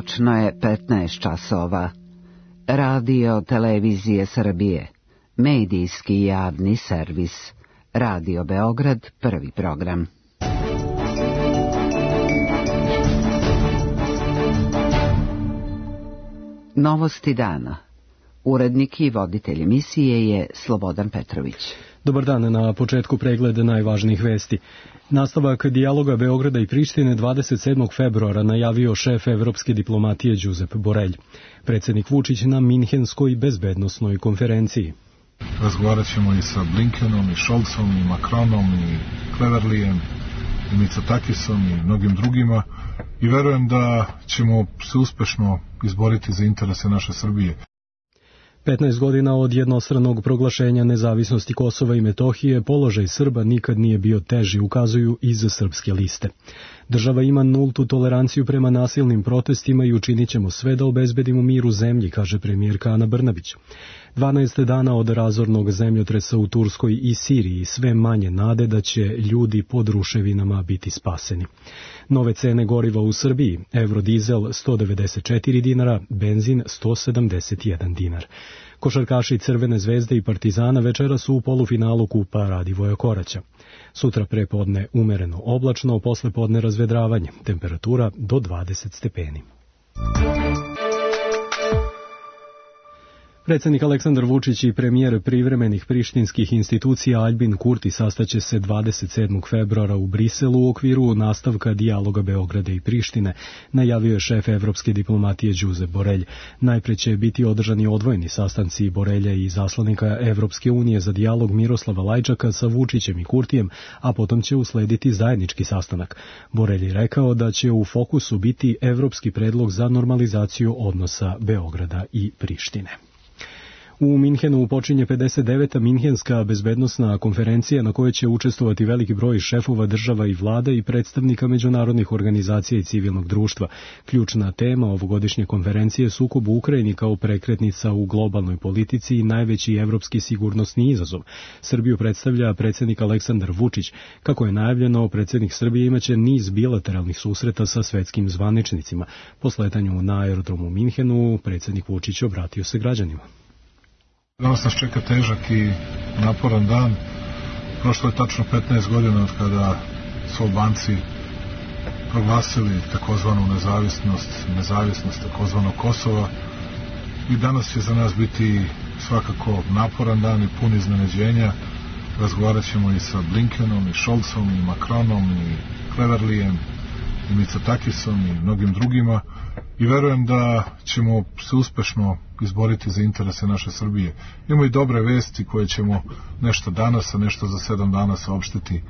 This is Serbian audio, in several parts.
Točno je 15 časova. Radio Televizije Srbije. Medijski javni servis. Radio Beograd, prvi program. Novosti dana. Urednik i voditelj emisije je Slobodan Petrović. Dobar dan, na početku pregleda najvažnijih vesti. Nastavak dijaloga Beograda i Prištine 27. februara najavio šef evropske diplomatije Josep Borrell. Predsjednik Vučić na Minhenskoj bezbednosnoj konferenciji. Razgovarat ćemo i sa Blinkenom, i Scholzom, i Macronom, i Cleverlijem, i Mitsotakisom, i mnogim drugima. I verujem da ćemo se uspešno izboriti za interese naše Srbije. 15 godina od jednostranog proglašenja nezavisnosti Kosova i Metohije, položaj Srba nikad nije bio teži, ukazuju iz Srpske liste. Država ima nultu toleranciju prema nasilnim protestima i učinit ćemo sve da obezbedimo mir u zemlji, kaže premijerka Ana Brnabić. 12 dana od razornog zemljotresa u Turskoj i Siriji, sve manje nade da će ljudi pod ruševinama biti spaseni. Nove cene goriva u Srbiji, eurodizel 194 dinara, benzin 171 dinar. Košarkaši Crvene zvezde i Partizana večera su u polufinalu kupa Radivoja Koraća. Sutra prepodne umereno oblačno, posle podne razvedravanje, temperatura do 20 stepeni. Predsjednik Aleksandar Vučić i premijer privremenih prištinskih institucija Aljbin Kurti sastaće se 27. februara u Briselu u okviru nastavka dijaloga Beograda i Prištine, najavio je šef evropske diplomatije Josep Borrell. Najpre će biti održani odvojeni sastanci Borrelja i zaslanika Evropske unije za dijalog Miroslava Lajčaka sa Vučićem i Kurtijem, a potom će uslediti zajednički sastanak. Borrell je rekao da će u fokusu biti evropski predlog za normalizaciju odnosa Beograda i Prištine. U Minhenu počinje 59. Minhenska bezbednosna konferencija na kojoj će učestvovati veliki broj šefova država i vlada i predstavnika međunarodnih organizacija i civilnog društva. Ključna tema ovogodišnje konferencije je sukob u Ukrajini kao prekretnica u globalnoj politici i najveći evropski sigurnosni izazov. Srbiju predstavlja predsjednik Aleksandar Vučić. Kako je najavljeno, predsjednik Srbije imaće niz bilateralnih susreta sa svetskim zvaničnicima. Po sletanju na aerodromu u Minhenu, predsjednik Vučić obratio se građanima. Danas nas čeka težak i naporan dan. Prošlo je tačno 15 godina od kada su Albanci proglasili takozvanu nezavisnost takozvanog Kosova. I danas će za nas biti svakako naporan dan i pun iznenađenja. Razgovarat ćemo i sa Blinkenom, i Scholzom, i Macronom, i Cleverlijem, i Mitsotakisom, i mnogim drugima. I verujem da ćemo se uspešno izboriti za interese naše Srbije. Imamo i dobre vesti koje ćemo nešto danas, a nešto za 7 dana saopštiti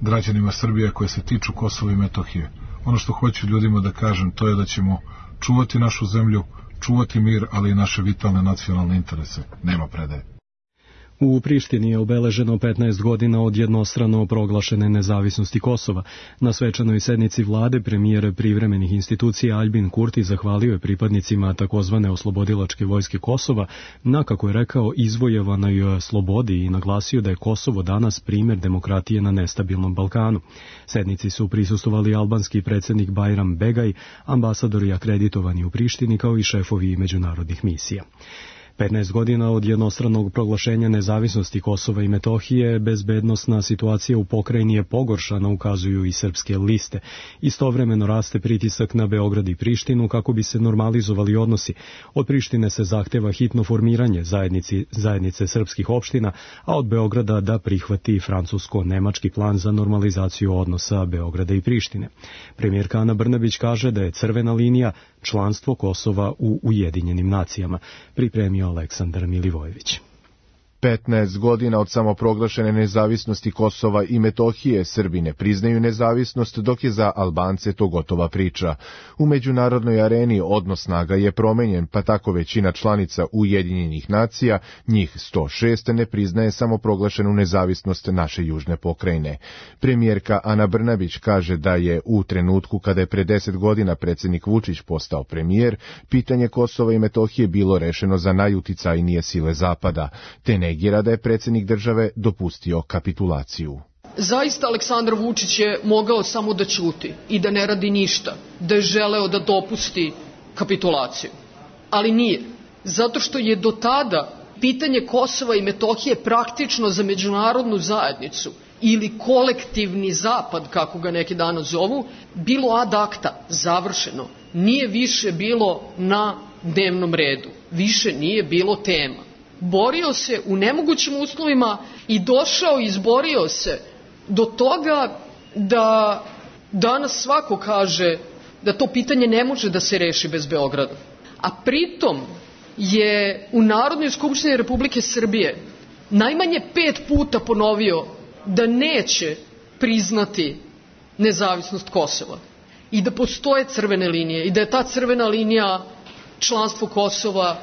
građanima Srbije koje se tiču Kosova i Metohije. Ono što hoću ljudima da kažem, to je da ćemo čuvati našu zemlju, čuvati mir, ali i naše vitalne nacionalne interese. Nema predaje. U Prištini je obeleženo 15 godina od jednostrano proglašene nezavisnosti Kosova. Na svečanoj sednici vlade premijer privremenih institucija Aljbin Kurti zahvalio je pripadnicima takozvane oslobodilačke vojske Kosova na, kako je rekao, izvojevanoj slobodi i naglasio da je Kosovo danas primjer demokratije na nestabilnom Balkanu. Sednici su prisustvovali albanski predsjednik Bajram Begaj, ambasadori akreditovani u Prištini kao i šefovi međunarodnih misija. 15 godina od jednostranog proglašenja nezavisnosti Kosova i Metohije, bezbednosna situacija u pokrajini je pogoršana, ukazuju i srpske liste. Istovremeno raste pritisak na Beograd i Prištinu kako bi se normalizovali odnosi. Od Prištine se zahteva hitno formiranje zajednice srpskih opština, a od Beograda da prihvati francusko-nemački plan za normalizaciju odnosa Beograda i Prištine. Premijerka Ana Brnabić kaže da je crvena linija članstvo Kosova u Ujedinjenim nacijama. Pripremio Aleksandar Milivojević. 15 godina od samoproglašene nezavisnosti Kosova i Metohije, Srbi ne priznaju nezavisnost, dok je za Albance to gotova priča. U međunarodnoj areni odnos snaga je promenjen, pa tako većina članica Ujedinjenih nacija, njih 106, ne priznaje samoproglašenu nezavisnost naše južne pokrajine. Premijerka Ana Brnabić kaže da je u trenutku kada je pre 10 godina predsjednik Vučić postao premijer, pitanje Kosova i Metohije bilo rešeno za najuticajnije sile Zapada, te negira da je predsjednik države dopustio kapitulaciju. Zaista Aleksandar Vučić je mogao samo da ćuti i da ne radi ništa, da je želeo da dopusti kapitulaciju. Ali nije. Zato što je do tada pitanje Kosova i Metohije praktično za međunarodnu zajednicu ili kolektivni zapad, kako ga neki danas zovu, bilo ad acta, završeno. Nije više bilo na dnevnom redu. Više nije bilo tema. Borio se u nemogućim uslovima i došao i izborio se do toga da danas svako kaže da to pitanje ne može da se reši bez Beograda. A pritom je u Narodnoj skupštini Republike Srbije najmanje 5 puta ponovio da neće priznati nezavisnost Kosova i da postoje crvene linije i da je ta crvena linija članstvo Kosova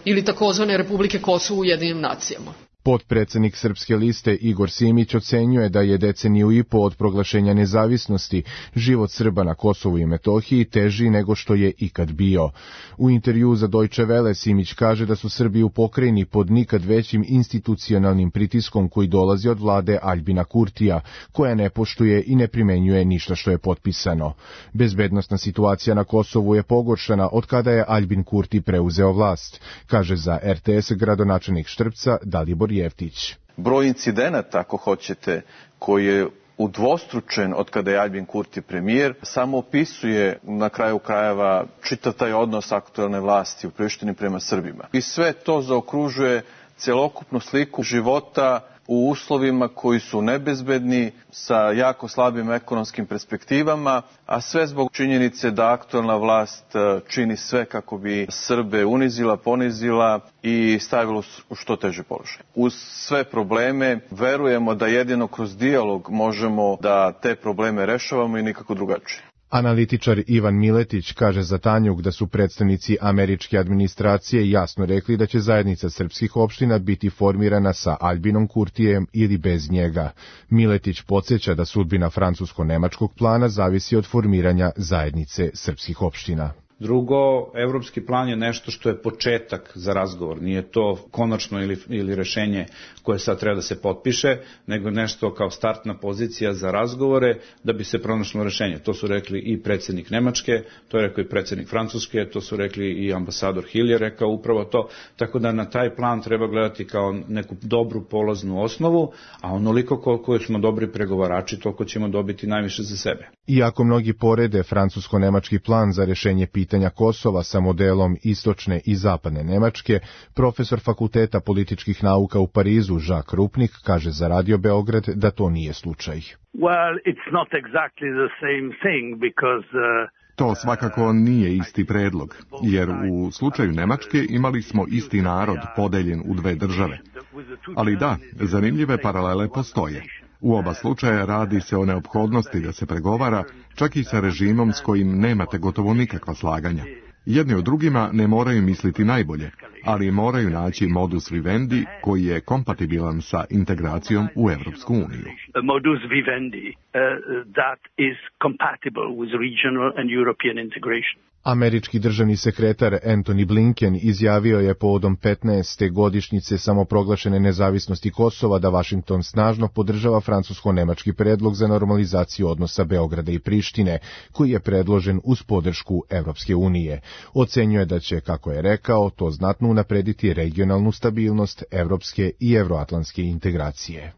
ili takozvane Republike Kosovo u Ujedinjenim nacijama. Potpredsednik Srpske liste Igor Simić ocenjuje da je deceniju i po od proglašenja nezavisnosti život Srba na Kosovu i Metohiji teži nego što je ikad bio. U intervjuu za Deutsche Welle Simić kaže da su Srbi u pokrajini pod nikad većim institucionalnim pritiskom koji dolazi od vlade Aljbina Kurtija, koja ne poštuje i ne primenjuje ništa što je potpisano. Bezbednosna situacija na Kosovu je pogoršana od kada je Aljbin Kurti preuzeo vlast, kaže za RTS gradonačelnik Štrpca Dalibor Jeftić. Broj incidenata, ako hoćete, koji je udvostručen od kada je Aljbin Kurti premijer, samo opisuje na kraju krajeva čitav taj odnos aktuelne vlasti u Prištini prema Srbima. I sve to zaokružuje celokupnu sliku života u uslovima koji su nebezbedni, sa jako slabim ekonomskim perspektivama, a sve zbog činjenice da aktuelna vlast čini sve kako bi Srbe unizila, ponizila i stavila u što teži položaj. Uz sve probleme verujemo da jedino kroz dijalog možemo da te probleme rešavamo i nikako drugačije. Analitičar Ivan Miletić kaže za Tanjug da su predstavnici američke administracije jasno rekli da će zajednica srpskih opština biti formirana sa Aljbinom Kurtijem ili bez njega. Miletić podsjeća da sudbina francusko-nemačkog plana zavisi od formiranja zajednice srpskih opština. Drugo, evropski plan je nešto što je početak za razgovor. Nije to konačno ili rešenje koje sad treba da se potpiše, nego nešto kao startna pozicija za razgovore da bi se pronašlo rešenje. To su rekli i predsjednik Nemačke, to je rekao i predsjednik Francuske, to su rekli i ambasador Hill je rekao upravo to. Tako da na taj plan treba gledati kao neku dobru polaznu osnovu, a onoliko koliko smo dobri pregovarači, toliko ćemo dobiti najviše za sebe. Iako mnogi porede francusko-nemački plan za rešenje pitanja Kosova sa modelom istočne i zapadne Nemačke, profesor Fakulteta političkih nauka u Parizu Jacques Rupnik kaže za Radio Beograd da to nije slučaj. Well, it's not exactly the same thing because To svakako nije isti predlog, jer u slučaju Nemačke imali smo isti narod podeljen u dve države. Ali da, zanimljive paralele postoje. U oba slučaja radi se o neophodnosti da se pregovara, čak i sa režimom s kojim nemate gotovo nikakva slaganja. Jedni od drugima ne moraju misliti najbolje, ali moraju naći modus vivendi koji je kompatibilan sa integracijom u Evropsku uniju. Modus vivendi that is compatible with regional and European integration. Američki državni sekretar Antony Blinken izjavio je povodom 15. godišnjice samoproglašene nezavisnosti Kosova da Vašington snažno podržava francusko-nemački predlog za normalizaciju odnosa Beograda i Prištine, koji je predložen uz podršku Evropske unije. Ocenjuje da će, kako je rekao, to znatno unaprediti regionalnu stabilnost evropske i evroatlantske integracije.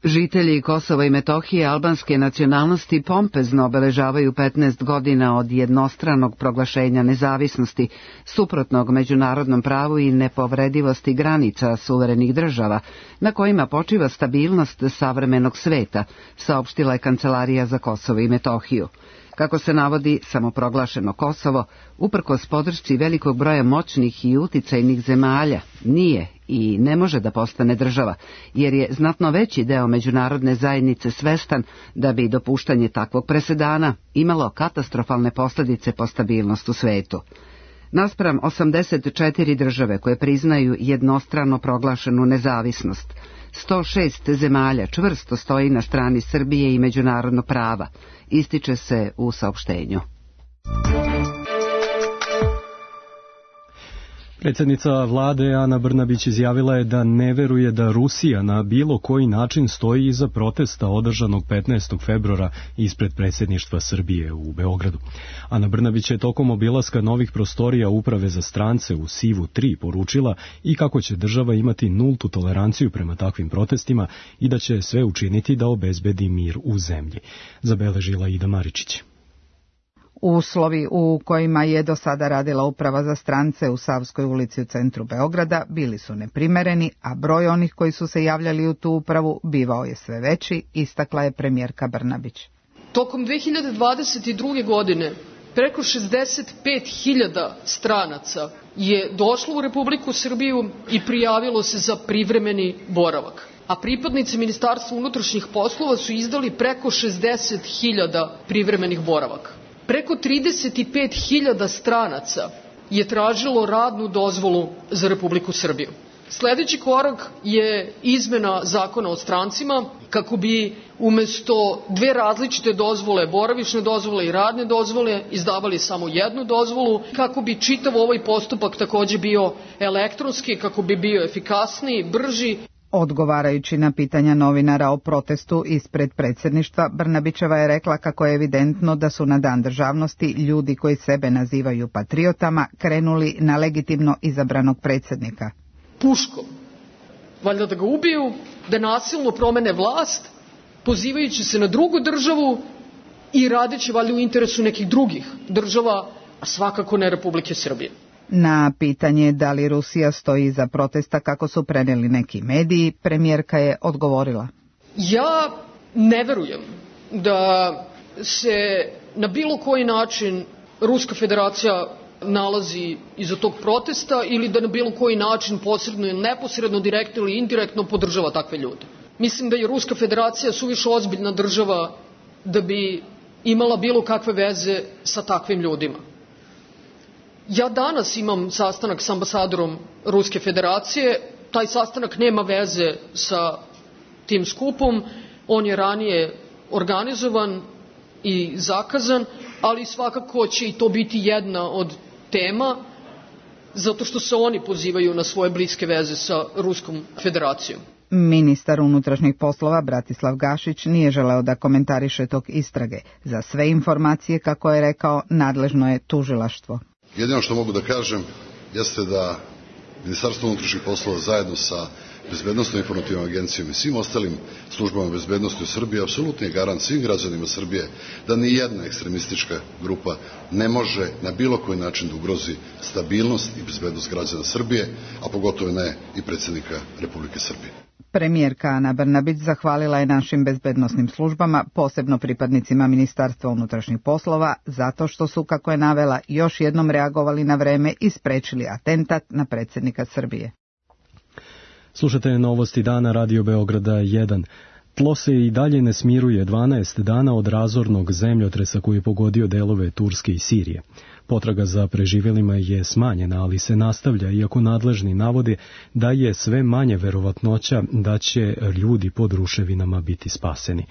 Žitelji Kosova i Metohije albanske nacionalnosti pompezno obeležavaju 15 godina od jednostranog proglašenja nezavisnosti, suprotnog međunarodnom pravu i nepovredivosti granica suverenih država, na kojima počiva stabilnost savremenog sveta, saopštila je Kancelarija za Kosovo i Metohiju. Kako se navodi, samoproglašeno Kosovo, uprkos podršci velikog broja moćnih i uticajnih zemalja, nije i ne može da postane država, jer je znatno veći deo međunarodne zajednice svestan da bi dopuštanje takvog presedana imalo katastrofalne posljedice po stabilnost u svetu. Naspram 84 države koje priznaju jednostrano proglašenu nezavisnost, 106 zemalja čvrsto stoji na strani Srbije i međunarodnog prava, ističe se u saopštenju. Predsjednica vlade Ana Brnabić izjavila je da ne veruje da Rusija na bilo koji način stoji iza protesta održanog 15. februara ispred predsjedništva Srbije u Beogradu. Ana Brnabić je tokom obilaska novih prostorija Uprave za strance u Sivu 3 poručila i kako će država imati nultu toleranciju prema takvim protestima i da će sve učiniti da obezbedi mir u zemlji, zabeležila Ida Maričić. Uslovi u kojima je do sada radila Uprava za strance u Savskoj ulici u centru Beograda bili su neprimereni, a broj onih koji su se javljali u tu upravu bivao je sve veći, istakla je premijerka Brnabić. Tokom 2022. godine preko 65.000 stranaca je došlo u Republiku Srbiju i prijavilo se za privremeni boravak, a pripadnici Ministarstva unutrašnjih poslova su izdali preko 60.000 privremenih boravaka. Preko 35.000 stranaca je tražilo radnu dozvolu za Republiku Srbiju. Sledeći korak je izmena zakona o strancima kako bi umesto dve različite dozvole, boravišne dozvole i radne dozvole, izdavali samo jednu dozvolu, kako bi čitav ovaj postupak takođe bio elektronski, kako bi bio efikasniji, brži. Odgovarajući na pitanja novinara o protestu ispred predsjedništva, Brnabićeva je rekla kako je evidentno da su na Dan državnosti ljudi koji sebe nazivaju patriotama krenuli na legitimno izabranog predsjednika. Puškom. Valjda da ga ubiju, da nasilno promene vlast, pozivajući se na drugu državu i radeći valjda u interesu nekih drugih država, a svakako ne Republike Srbije. Na pitanje da li Rusija stoji iza protesta kako su preneli neki mediji, premijerka je odgovorila. Ja ne verujem da se na bilo koji način Ruska federacija nalazi iza tog protesta ili da na bilo koji način posredno ili neposredno, direktno ili indirektno podržava takve ljude. Mislim da je Ruska federacija suviše ozbiljna država da bi imala bilo kakve veze sa takvim ljudima. Ja danas imam sastanak s ambasadorom Ruske federacije, taj sastanak nema veze sa tim skupom, on je ranije organizovan i zakazan, ali svakako će i to biti jedna od tema, zato što se oni pozivaju na svoje bliske veze sa Ruskom federacijom. Ministar unutrašnjih poslova Bratislav Gašić nije želeo da komentariše tok istrage. Za sve informacije, kako je rekao, nadležno je tužilaštvo. Jedino što mogu da kažem jeste da Ministarstvo unutrašnjih poslova zajedno sa Bezbednosnom informativnom agencijom i svim ostalim službama bezbednosti u Srbiji apsolutno je garant svim građanima Srbije da ni jedna ekstremistička grupa ne može na bilo koji način da ugrozi stabilnost i bezbednost građana Srbije, a pogotovo ne i predsjednika Republike Srbije. Premijerka Ana Brnabić zahvalila je našim bezbednosnim službama, posebno pripadnicima Ministarstva unutrašnjih poslova, zato što su, kako je navela, još jednom reagovali na vreme i sprečili atentat na predsjednika Srbije. Slušate novosti dana Radio Beograda 1. Tlo se i dalje ne smiruje 12 dana od razornog zemljotresa koji je pogodio delove Turske i Sirije. Potraga za preživjelima je smanjena, ali se nastavlja, iako nadležni navode da je sve manje verovatnoća da će ljudi pod ruševinama biti spaseni.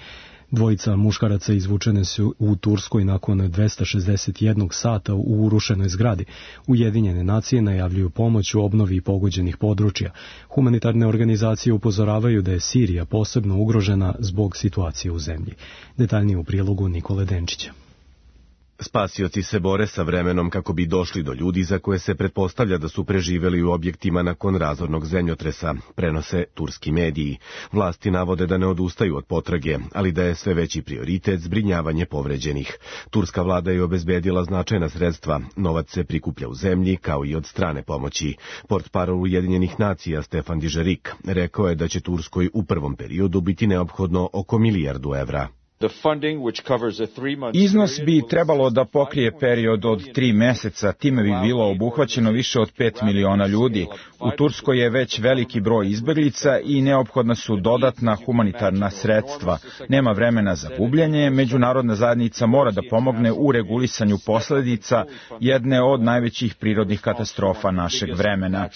Dvojica muškaraca izvučene su u Turskoj nakon 261 sata u urušenoj zgradi. Ujedinjene nacije najavljuju pomoć u obnovi pogođenih područja. Humanitarne organizacije upozoravaju da je Sirija posebno ugrožena zbog situacije u zemlji. Detaljnije u prilogu Nikole Denčića. Spasioci se bore sa vremenom kako bi došli do ljudi za koje se pretpostavlja da su preživeli u objektima nakon razornog zemljotresa, prenose turski mediji. Vlasti navode da ne odustaju od potrage, ali da je sve veći prioritet zbrinjavanje povređenih. Turska vlada je obezbedila značajna sredstva, novac se prikuplja u zemlji kao i od strane pomoći. Portparol Ujedinjenih nacija Stefan Dižerik rekao je da će Turskoj u prvom periodu biti neophodno oko milijardu evra. Iznos bi trebalo da pokrije period od 3 meseca, time bi bilo obuhvaćeno više od 5 miliona ljudi. U Turskoj je već veliki broj izbeglica i neophodna su dodatna humanitarna sredstva. Nema vremena za gubljenje, međunarodna zajednica mora da pomogne u regulisanju posledica jedne od najvećih prirodnih katastrofa našeg vremena.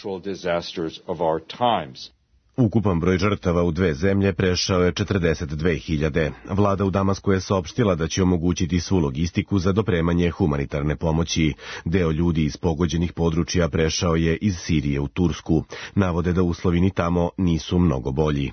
Ukupan broj žrtava u dve zemlje prešao je 42.000. Vlada u Damasku je saopštila da će omogućiti svu logistiku za dopremanje humanitarne pomoći. Deo ljudi iz pogođenih područja prešao je iz Sirije u Tursku. Navode da uslovi ni tamo nisu mnogo bolji.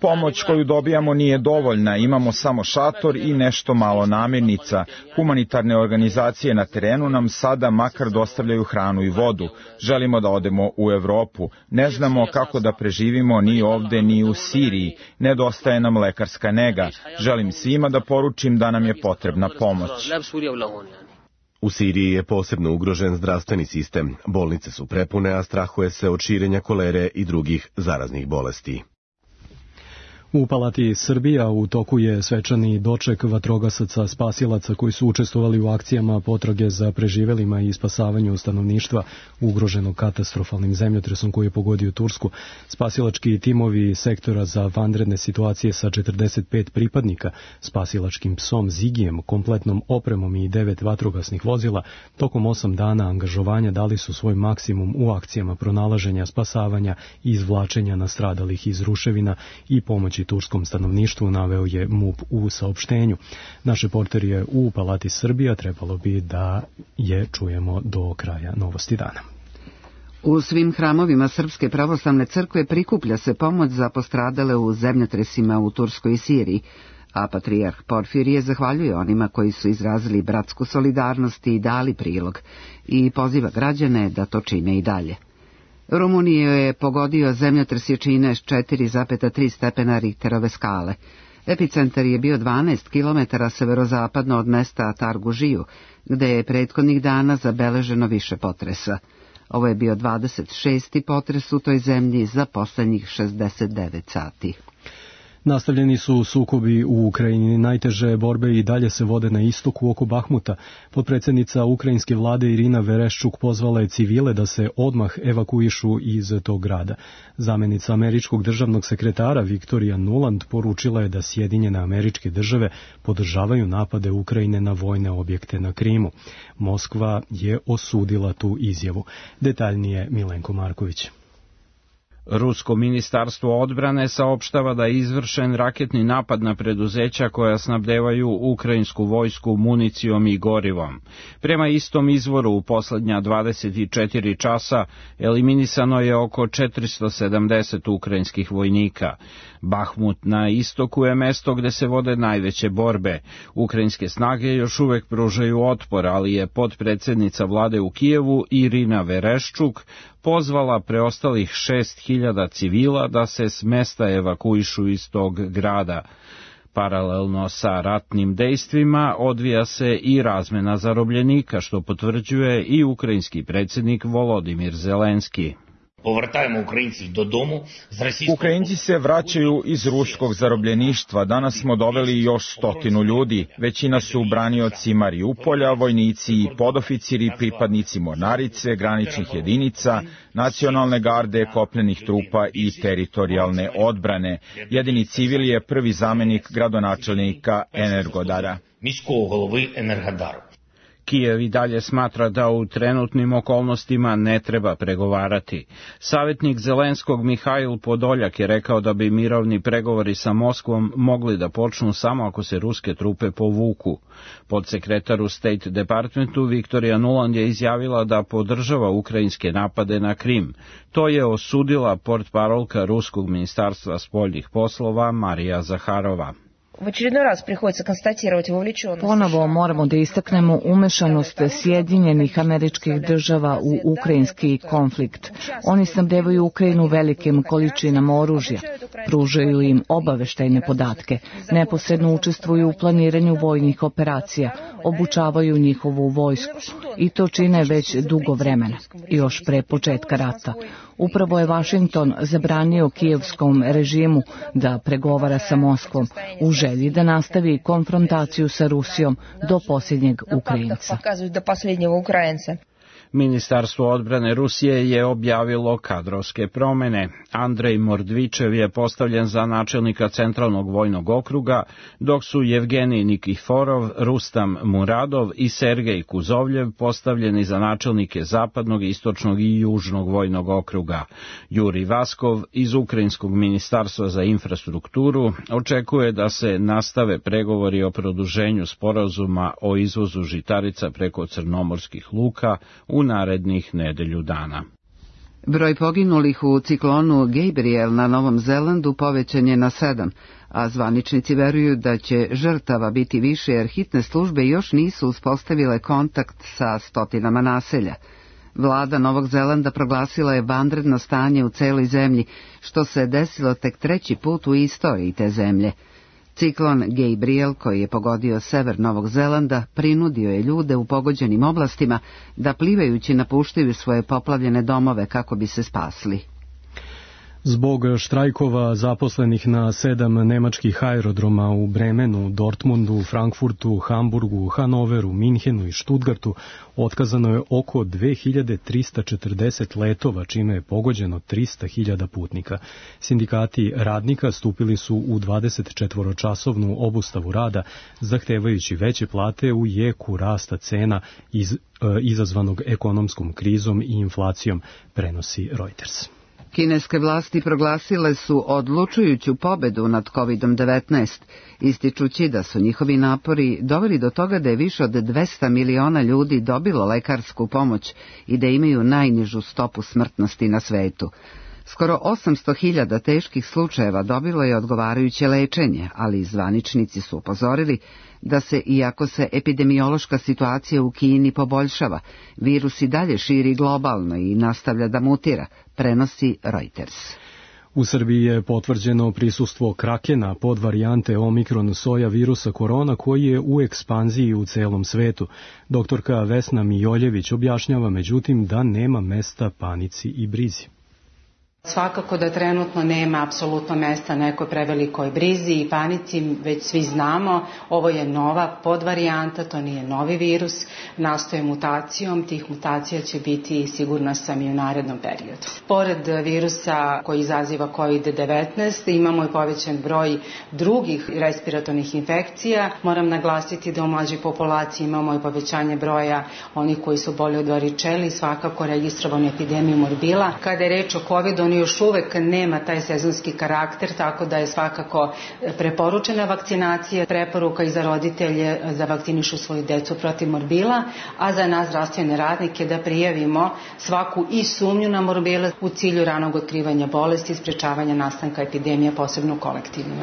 Pomoć koju dobijamo nije dovoljna, imamo samo šator i nešto malo namirnica. Humanitarne organizacije na terenu nam sada makar dostavljaju hranu i vodu. Želimo da odemo u Evropu. Ne znamo kako da preživimo ni ovde ni u Siriji. Nedostaje nam lekarska nega. Želim svima da poručim da nam je potrebna pomoć. U Siriji je posebno ugrožen zdravstveni sistem. Bolnice su prepune, a strahuje se od širenja kolere i drugih zaraznih bolesti. U Palati Srbija u toku je svečani doček vatrogasaca spasilaca koji su učestvovali u akcijama potrage za preživelima i spasavanju stanovništva ugroženog katastrofalnim zemljotresom koji je pogodio Tursku. Spasilački timovi sektora za vanredne situacije sa 45 pripadnika, spasilačkim psom Zigijem, kompletnom opremom i 9 vatrogasnih vozila, tokom 8 dana angažovanja dali su svoj maksimum u akcijama pronalaženja, spasavanja i izvlačenja nastradalih iz ruševina i pomoći turskom stanovništvu, naveo je MUP u saopštenju. Naš reporter je u Palati Srbija, trebalo bi da je čujemo do kraja novosti dana. U svim hramovima Srpske pravoslavne crkve prikuplja se pomoć za postradale u zemljotresima u Turskoj i Siriji, a patrijarh Porfirije zahvaljuje onima koji su izrazili bratsku solidarnost i dali prilog i poziva građane da to čine i dalje. Rumuniju je pogodio zemljotres jačine 4,3 stepena Richterove skale. Epicentar je bio 12 km severozapadno od mesta Targužiju, gde je prethodnih dana zabeleženo više potresa. Ovo je bio 26. potres u toj zemlji za poslednjih 69 sati. Nastavljeni su sukobi u Ukrajini. Najteže borbe i dalje se vode na istoku oko Bahmuta. Potpredsjednica ukrajinske vlade Irina Vereščuk pozvala je civile da se odmah evakuišu iz tog grada. Zamenica američkog državnog sekretara Viktorija Nuland poručila je da Sjedinjene Američke Države podržavaju napade Ukrajine na vojne objekte na Krimu. Moskva je osudila tu izjavu. Detaljnije Milenko Marković. Rusko ministarstvo odbrane saopštava da je izvršen raketni napad na preduzeća koja snabdevaju ukrajinsku vojsku municijom i gorivom. Prema istom izvoru u poslednja 24 časa eliminisano je oko 470 ukrajinskih vojnika. Bahmut na istoku je mesto gde se vode najveće borbe. Ukrajinske snage još uvek pružaju otpor, ali je potpredsednica vlade u Kijevu Irina Vereščuk pozvala preostalih 6.000 civila da se s mesta evakuišu iz tog grada. Paralelno sa ratnim dejstvima odvija se i razmena zarobljenika, što potvrđuje i ukrajinski predsjednik Volodimir Zelenski. Ukrajinci se vraćaju iz ruskog zarobljeništva. Danas smo doveli još 100 ljudi. Većina su branioci Mariupolja, vojnici i podoficiri, pripadnici mornarice, graničnih jedinica, nacionalne garde, kopnenih trupa i teritorijalne odbrane. Jedini civil je prvi zamenik gradonačelnika Energodara. Kijev i dalje smatra da u trenutnim okolnostima ne treba pregovarati. Savjetnik Zelenskog Mihajl Podoljak je rekao da bi mirovni pregovori sa Moskvom mogli da počnu samo ako se ruske trupe povuku. Podsekretar u State Departmentu Viktorija Nuland je izjavila da podržava ukrajinske napade na Krim. To je osudila portparolka Ruskog ministarstva spoljnih poslova Marija Zaharova. Ponovo moramo da istaknemo umešanost Sjedinjenih Američkih Država u ukrajinski konflikt. Oni snabdevaju Ukrajinu velikim količinama oružja, pružaju im obaveštajne podatke, neposredno učestvuju u planiranju vojnih operacija, obučavaju njihovu vojsku i to čine već dugo vremena, još pre početka rata. Upravo je Vašington zabranio kijevskom režimu da pregovara sa Moskvom u želji da nastavi konfrontaciju sa Rusijom do posljednjeg Ukrajinca. Ministarstvo odbrane Rusije je objavilo kadrovske promene. Andrej Mordvičev je postavljen za načelnika Centralnog vojnog okruga, dok su Jevgenij Nikiforov, Rustam Muradov i Sergej Kuzovljev postavljeni za načelnike Zapadnog, Istočnog i Južnog vojnog okruga. Juri Vaskov iz Ukrajinskog ministarstva za infrastrukturu očekuje da se nastave pregovori o produženju sporazuma o izvozu žitarica preko crnomorskih luka u narednih nedelju dana. Broj poginulih u ciklonu Gabriel na Novom Zelandu povećan je na 7, a zvaničnici veruju da će žrtava biti više jer hitne službe još nisu uspostavile kontakt sa stotinama naselja. Vlada Novog Zelanda proglasila je vanredno stanje u celoj zemlji, što se desilo tek 3. put u istoriji te zemlje. Ciklon Gabriel, koji je pogodio sever Novog Zelanda, prinudio je ljude u pogođenim oblastima da plivajući napuštaju svoje poplavljene domove kako bi se spasli. Zbog štrajkova zaposlenih na 7 nemačkih aerodroma u Bremenu, Dortmundu, Frankfurtu, Hamburgu, Hanoveru, Minhenu i Stuttgartu otkazano je oko 2340 letova, čime je pogođeno 300.000 putnika. Sindikati radnika stupili su u 24-časovnu obustavu rada, zahtevajući veće plate u jeku rasta cena izazvanog ekonomskom krizom i inflacijom, prenosi Reuters. Kineske vlasti proglasile su odlučujuću pobedu nad COVID-19, ističući da su njihovi napori doveli do toga da je više od 200 miliona ljudi dobilo lekarsku pomoć i da imaju najnižu stopu smrtnosti na svetu. Skoro 800.000 teških slučajeva dobilo je odgovarajuće lečenje, ali zvaničnici su upozorili da se, iako se epidemiološka situacija u Kini poboljšava, virus i dalje širi globalno i nastavlja da mutira, prenosi Reuters. U Srbiji je potvrđeno prisustvo krakena podvarijante omikron soja virusa korona koji je u ekspanziji u celom svetu. Doktorka Vesna Mijoljević objašnjava međutim da nema mesta panici i brizi. Svakako da trenutno nema apsolutno mesta nekoj prevelikoj brizi i panici, već svi znamo, ovo je nova podvarijanta, to nije novi virus, nastoje mutacijom, tih mutacija će biti, sigurna sam, i u narednom periodu. Pored virusa koji izaziva COVID-19, imamo i povećan broj drugih respiratornih infekcija. Moram naglasiti da u mlađoj populaciji imamo i povećanje broja onih koji su boli od varičeli, svakako registrovanu epidemiju morbila. Kada je reč o COVID-u, još uvek nema taj sezonski karakter, tako da je svakako preporučena vakcinacija, preporuka i za roditelje da vakcinišu svoju decu protiv morbila, a za nas zdravstvene radnike da prijavimo svaku i sumnju na morbile u cilju ranog otkrivanja bolesti i sprečavanja nastanka epidemija, posebno kolektivno.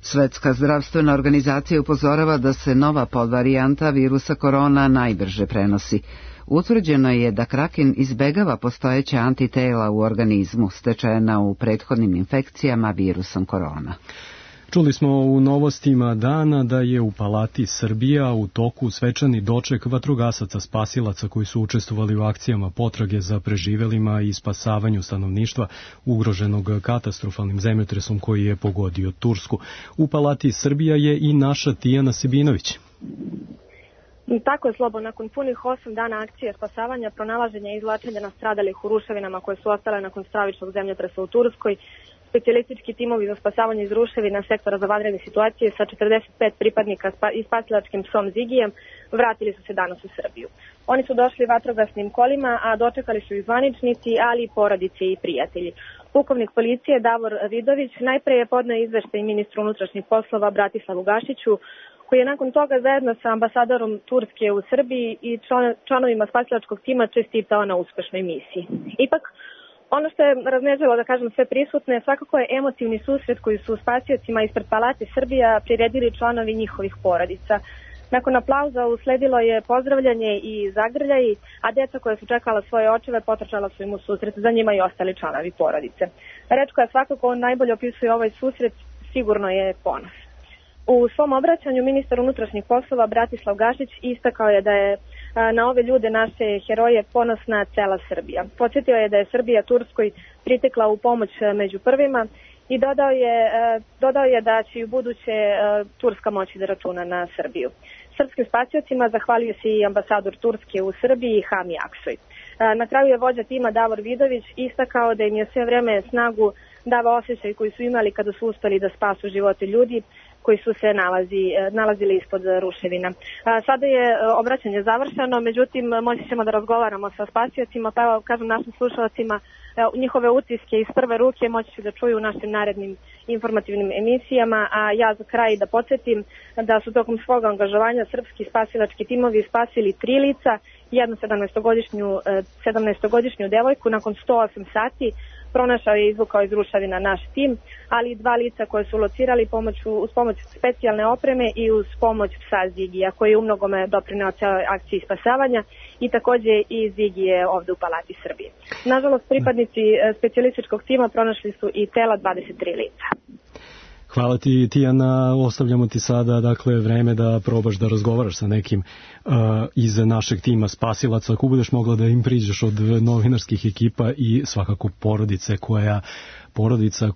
Svetska zdravstvena organizacija upozorava da se nova podvarijanta virusa korona najbrže prenosi. Utvrđeno je da kraken izbegava postojeća antitela u organizmu stečena u prethodnim infekcijama virusom korona. Čuli smo u novostima dana da je u Palati Srbija u toku svečani doček vatrogasaca spasilaca koji su učestvovali u akcijama potrage za preživelima i spasavanju stanovništva ugroženog katastrofalnim zemljotresom koji je pogodio Tursku. U Palati Srbija je i naša Tijana Sebinović. Tako je, Slobo, nakon punih 8 dana akcije spasavanja, pronalaženja i izvlačenja nastradalih u ruševinama koje su ostale nakon stravičnog zemljotresa u Turskoj, specijalistički timovi za spasavanje iz ruševina sektora za vanredne situacije sa 45 pripadnika i spasilačkim psom Zigijem vratili su se danas u Srbiju. Oni su došli vatrogasnim kolima, a dočekali su i zvaničnici, ali i porodice i prijatelji. Pukovnik policije Davor Vidović najpre je podneo izveštaj ministru unutrašnjih poslova Bratislavu Gašiću, koji je nakon toga zajedno sa ambasadorom Turske u Srbiji i članovima spasilačkog tima čestitao na uspešnoj misiji. Ipak, ono što je raznežilo, da kažem, sve prisutne, svakako je emotivni susret koji su spasiocima ispred Palate Srbija priredili članovi njihovih porodica. Nakon aplauza usledilo je pozdravljanje i zagrljaj, a deca koja su čekala svoje očeve potrčala su im u susret, za njima i ostali članovi porodice. Reč koja svakako najbolje opisuje ovaj susret sigurno je ponos. U svom obraćanju ministar unutrašnjih poslova Bratislav Gašić istakao je da je na ove ljude, naše heroje, ponosna cela Srbija. Podsjetio je da je Srbija Turskoj pritekla u pomoć među prvima i dodao je da će i u buduće Turska moći da računa na Srbiju. Srpskim spasiocima zahvalio se i ambasador Turske u Srbiji Hami Aksoy. Na kraju je vođa tima Davor Vidović istakao da im je sve vreme snagu dava osjećaj koji su imali kada su uspeli da spasu živote ljudi koji su se nalazili ispod ruševina. Sada je obraćanje završeno, međutim moći ćemo da razgovaramo sa spasiocima, pa evo kažem našim slušalcima njihove utiske iz prve ruke moći će da čuju u našim narednim informativnim emisijama, a ja za kraj da podsjetim da su tokom svog angažovanja srpski spasilački timovi spasili 3 lica, jednu 17-godišnju devojku nakon 108 sati. Pronašao je i izvukao iz ruševina naš tim, ali i 2 lica koje su locirali uz pomoć specijalne opreme i uz pomoć psa Zigija, koji je umnogome doprineo celoj akciji spasavanja i takođe i Zigi je ovde u Palati Srbije. Nažalost, pripadnici specijalističkog tima pronašli su i tela 23 lica. Hvala ti, Tijana, ostavljamo ti sada vreme da probaš da razgovaraš sa nekim iz našeg tima spasilaca, ako budeš mogla da im priđeš od novinarskih ekipa i svakako porodica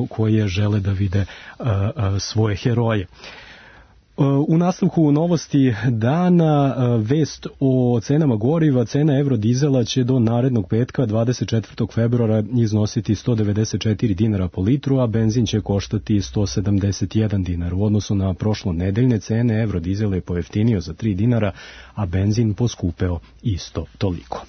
koje žele da vide svoje heroje. U nastavku novosti dana vest o cenama goriva. Cena evrodizela će do narednog petka 24. februara iznositi 194 dinara po litru, a benzin će koštati 171 dinar. U odnosu na prošlonedeljne cene evrodizela je pojeftinio za 3 dinara, a benzin poskupeo isto toliko.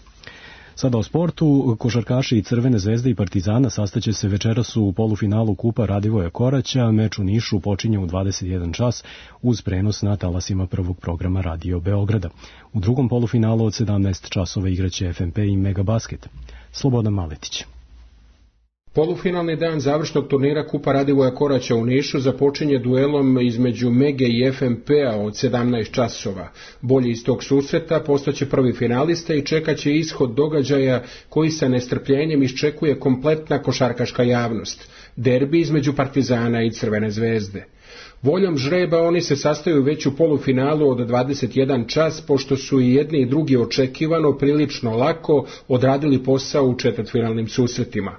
Sada o sportu. Košarkaši i Crvene zvezde i Partizana sastaće se večeras u polufinalu Kupa Radivoja Koraća. Meč u Nišu počinje u 21 čas uz prenos na talasima prvog programa Radio Beograda. U drugom polufinalu od 17 časova igraće FNP i Megabasket. Slobodan Maletić. Polufinalni dan završnog turnira Kupa Radivoja Koraća u Nišu započinje duelom između Mege i FNP-a od 17 časova. Bolji iz tog susreta postaće prvi finalista i čekaće ishod događaja koji sa nestrpljenjem iščekuje kompletna košarkaška javnost. Derbi između Partizana i Crvene zvezde. Voljom žreba oni se sastaju već u polufinalu od 21 čas, pošto su i jedni i drugi očekivano prilično lako odradili posao u četvrtfinalnim susretima.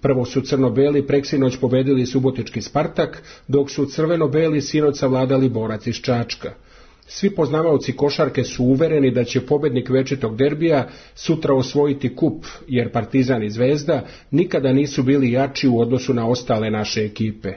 Prvo su crno-beli preksinoć pobedili subotički Spartak, dok su crveno-beli sinoć savladali Borac iz Čačka. Svi poznavaoci košarke su uvereni da će pobednik večitog derbija sutra osvojiti kup, jer Partizan i Zvezda nikada nisu bili jači u odnosu na ostale naše ekipe.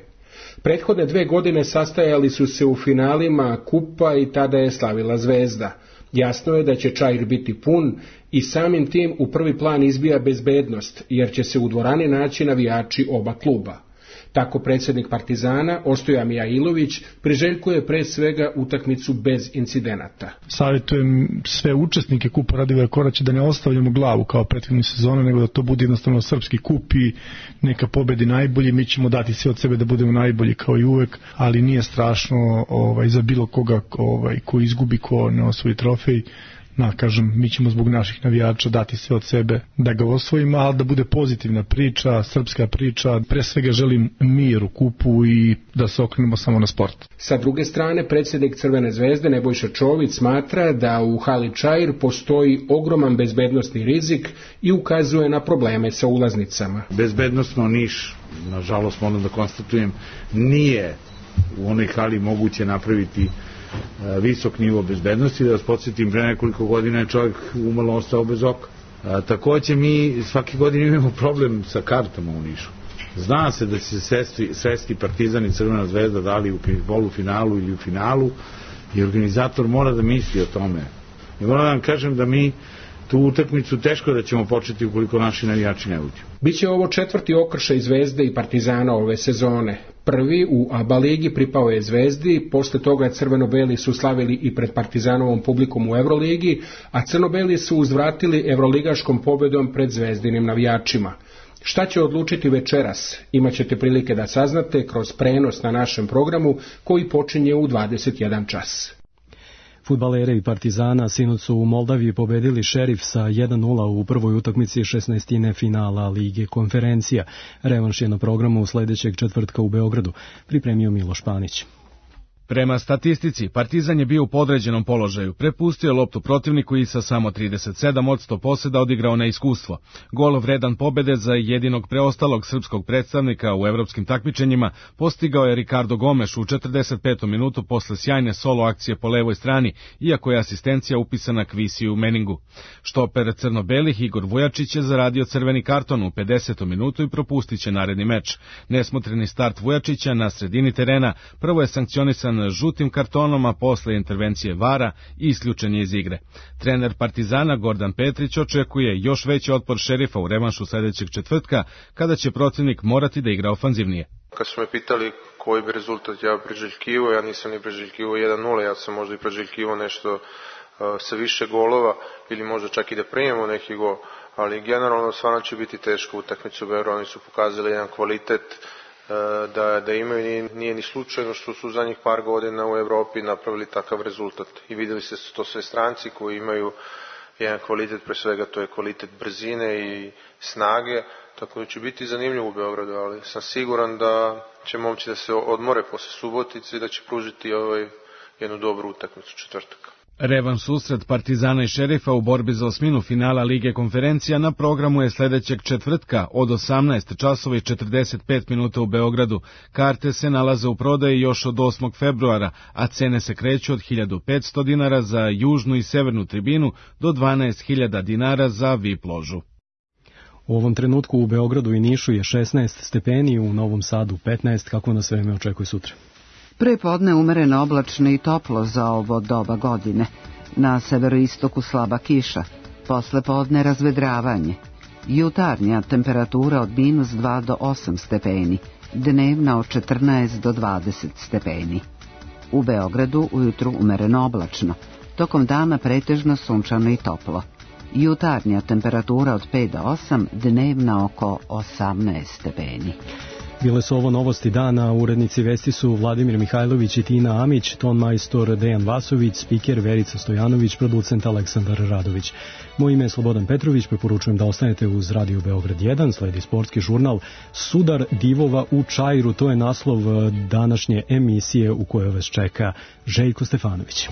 Prethodne 2 godine sastajali su se u finalima kupa i tada je slavila Zvezda. Jasno je da će čair biti pun i samim tim u prvi plan izbija bezbednost, jer će se u dvorani naći navijači oba kluba. Tako predsjednik Partizana, Ostoja Mijailović, priželjkuje pre svega utakmicu bez incidenata. Savjetujem sve učesnike Kupa Radivoja Koraća da ne ostavljamo glavu kao prethodne sezone, nego da to bude jednostavno srpski kup i neka pobedi najbolji. Mi ćemo dati sve od sebe da budemo najbolji kao i uvek, ali nije strašno za bilo koga ko izgubi, ko ne osvoji trofej. Mi ćemo zbog naših navijača dati sve od sebe da ga osvojimo, ali da bude pozitivna priča, srpska priča. Pre svega želim mir u kupu i da se okrenemo samo na sport. Sa druge strane, predsjednik Crvene zvezde Nebojša Čović smatra da u hali Čair postoji ogroman bezbednosni rizik i ukazuje na probleme sa ulaznicama. Bezbednosno Niš, nažalost moram da konstatujem, nije u onoj hali moguće napraviti visok nivo bezbednosti. Da vas podsjetim, pre nekoliko godina je čovjek umalo ostao bez oka. Takođe mi svake godine imamo problem sa kartama u Nišu. Zna se da će se sresti Partizan i Crvena zvezda da li u polufinalu ili u finalu i organizator mora da misli o tome. I moram da vam kažem da mi tu utakmicu teško da ćemo početi ukoliko naši navijači ne uđu. Biće ovo 4. okršaj Zvezde i Partizana ove sezone. Prvi u ABA ligi pripao je Zvezdi, posle toga crveno-beli su slavili i pred Partizanovom publikom u Evroligi, a crno-beli su uzvratili evroligaškom pobedom pred zvezdinim navijačima. Šta će odlučiti večeras? Imaćete prilike da saznate kroz prenos na našem programu koji počinje u 21 čas. Fudbaleri Partizana sinoć su u Moldaviji pobedili Šerif sa 1:0 u prvoj utakmici 16. finala Lige konferencija. Revanš je na programu sledećeg četvrtka u Beogradu, pripremio Miloš Panić. Prema statistici, Partizan je bio u podređenom položaju, prepustio je loptu protivniku i sa samo 37% poseda odigrao na iskustvo. Gol vredan pobede za jedinog preostalog srpskog predstavnika u evropskim takmičenjima postigao je Ricardo Gomes u 45. minutu posle sjajne solo akcije po levoj strani, iako je asistencija upisana Kvisiju Meningu. Štoper crno-belih Igor Vujačić je zaradio crveni karton u 50. minutu i propustit će naredni meč. Nesmotreni start Vujačića na sredini terena prvo je sankcionisan žutim kartonom, a posle intervencije VAR-a i isključen je iz igre. Trener Partizana Gordan Petrić očekuje još veći otpor Šerifa u revanšu sledećeg četvrtka, kada će protivnik morati da igra ofanzivnije. Kad su me pitali koji bi rezultat ja priželjkivao, ja nisam ni priželjkivao 1-0, ja sam možda i priželjkivao nešto sa više golova ili možda čak i da primimo neki gol, ali generalno stvarno će biti teško utakmicu u Beogradu. Oni su pokazali jedan kvalitet da imaju, nije ni slučajno što su zadnjih par godina u Evropi napravili takav rezultat i videli se to sve stranci koji imaju jedan kvalitet, pre svega to je kvalitet brzine i snage, tako da će biti zanimljivo u Beogradu, ali sam siguran da će momci da se odmore posle Subotice i da će pružiti jednu dobru utakmicu četvrtak. Revanš susret Partizana i Šerifa u borbi za osminu finala Lige konferencija na programu je sledećeg četvrtka od 18 časova i 45 minuta u Beogradu. Karte se nalaze u prodaji još od 8. februara, a cene se kreću od 1500 dinara za južnu i severnu tribinu do 12.000 dinara za VIP ložu. U ovom trenutku u Beogradu i Nišu je 16 stepeni, u Novom Sadu 15, kako nas vreme očekuje sutra. Pre podne umereno oblačno i toplo za ovo doba godine. Na severoistoku slaba kiša, posle podne razvedravanje. Jutarnja temperatura od -2 do 8 stepeni, dnevna od 14 do 20 stepeni. U Beogradu ujutru umereno oblačno, tokom dana pretežno sunčano i toplo. Jutarnja temperatura od 5 do 8, dnevna oko 18 stepeni. Bile su ovo novosti dana, urednici vesti su Vladimir Mihajlović i Tina Amić, ton majstor Dejan Vasović, spiker Verica Stojanović, producent Aleksandar Radović. Moje ime je Slobodan Petrović, preporučujem da ostanete uz Radio Beograd 1, sledi sportski žurnal Sudar divova u Čairu, to je naslov današnje emisije u kojoj vas čeka Željko Stefanović.